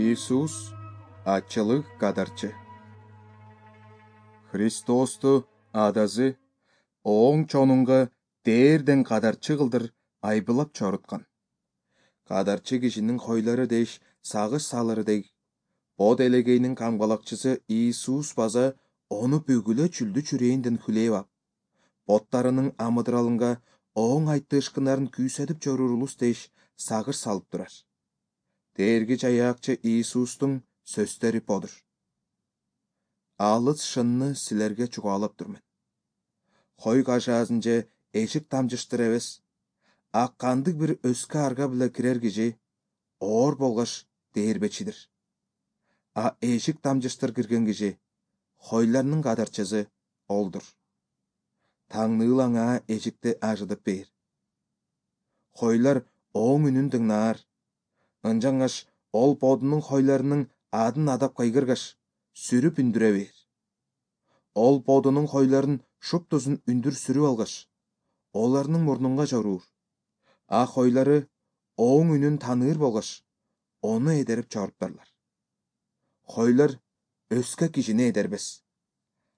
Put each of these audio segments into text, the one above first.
Иисус ачылык кадарчы. Христосту адазы оң чонунга дээрден кадарчы кылдыр айбылап чоруткан. Кадарчы кишинин хойлары деш сагыш салыры дег, бод элегейнин камгалакчысы Иисус база ону бүгүлө чүлдү чүрээнден хүлээп ап, боттарынын амыдыралынга оң айттышкынарын күйсөтүп чоруур улус деш сагыш салып турар. Дээргич аяакчы Иисустун сөздөрү бодур. Алыс шынны силерге чугаалап турмун. Хой кашаасын же эшик тамжыштыр эбес, а кандык бир өскө арга биле кирер киши оор болгоч дээрбечидир. А эшик тамжыштыр кирген киши хойларынын кадарчысы олдур. Таңныл аңа эшикти ажытып бээр. Хойлар оң үнүн тыңнаар. Ынжаңаш ол бодунун хойларынын адын адап кайгыргаш, сүрүп үндүрө бээр. Ол бодунун хойларын шуптузун үндүр сүрүп алгаш, оларынын мурнунга жоруур. А хойлары оң үнүн тааныр болгоч, ону эдерип чоруптарлар. Хойлар өскө кишини эдербес.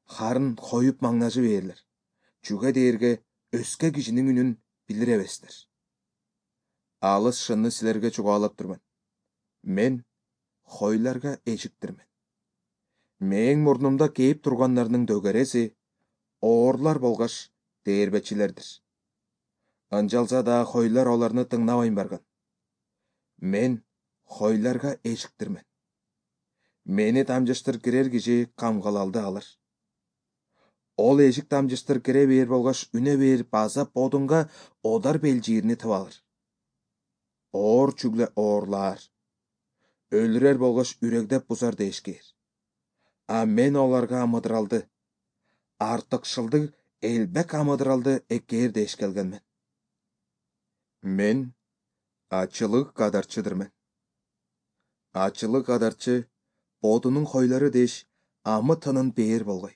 Харын коюп маңнажы бээрлер. Чүге дээрге өскө кишинин үнүн билир эбестер. Алыс шынны силерге чугаалап турмун. Мен хойларга эшиктирмин. Мээң мурнумда кээп тургандарынын дөгөрөсү оорлар болгоч дээрбечилердир. Ынжалса да хойлар оларны тыңнабай барган. Мен хойларга эшиктирмин. Мени тамжыштыр кирер киши камгалалды алыр. Ол эшик тамжыштыр кире бээр болгоч үнө бээр база бодунга одар белжирини тып алыр. Оор чүглө оорлаар. Өлүрөр болгоч үрөгдөп бузар дешкээр. А мен оларга амыдыралды, артыкшылдык элбек амыдыралды экээр деш келгенмин. Мен ачылык кадарчыдырмын. Ачылык кадарчы бодунун хойлары деш амы-тынын бээр болгой.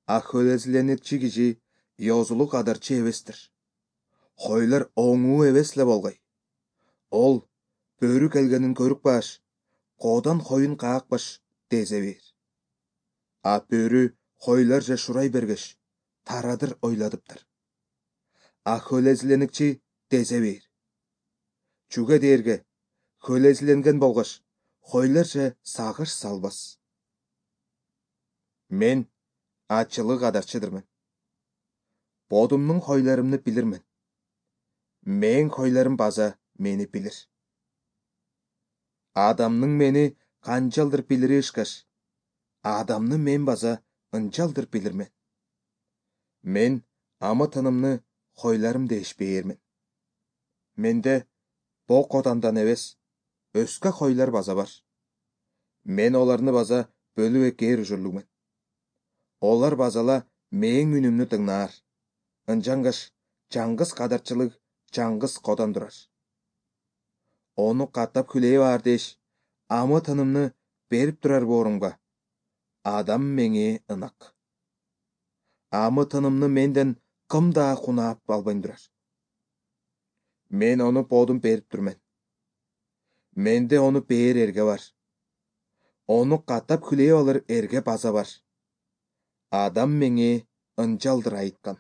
А хөлөзүленикчи киши ёзулук кадарчы эбестир. Хойлар оңуу эбес эле болгой. Ол бөрү келгенин көрүкпаш, коодан хойун каакпаш дезе бээр. А бөрү хойлар же шурай бергеш, тарадыр ойладыптыр. А хөлөзүленикчи дезе бээр. Чүге дээрге хөлөзүленген болгоч, хойлар же сагыш салбас. Мен ачылык кадарчыдырмын. Бодумдун хойларымны билирмин. Мээң хойларым база мени билир. Адамның мени канчалдыр билири ышкаш, адамны мен база ынчалдыр билирмин. Мен амы-тынымны хойларым деш бээрмин. Менде бок одандан эбес, өскө хойлар база бар. Мен оларны база бөлүп экээр ужурлугмун. Олар базала мээң үнүмнү тыңнаар. Ынжаңгаш жаңгыз кадарчылык жаңгыз кодан турар. Ону каттап хүлээп аар деш, амы-тынымны берип турар боорумга. Адам меңе ынак. Амы-тынымны менден кым да кунаап албай турар. Мен ону бодум берип турмун. Менде ону бээр эрге бар. Ону каттап хүлээп алыр эрге база бар. Адам меңе ынчалдыр айткан.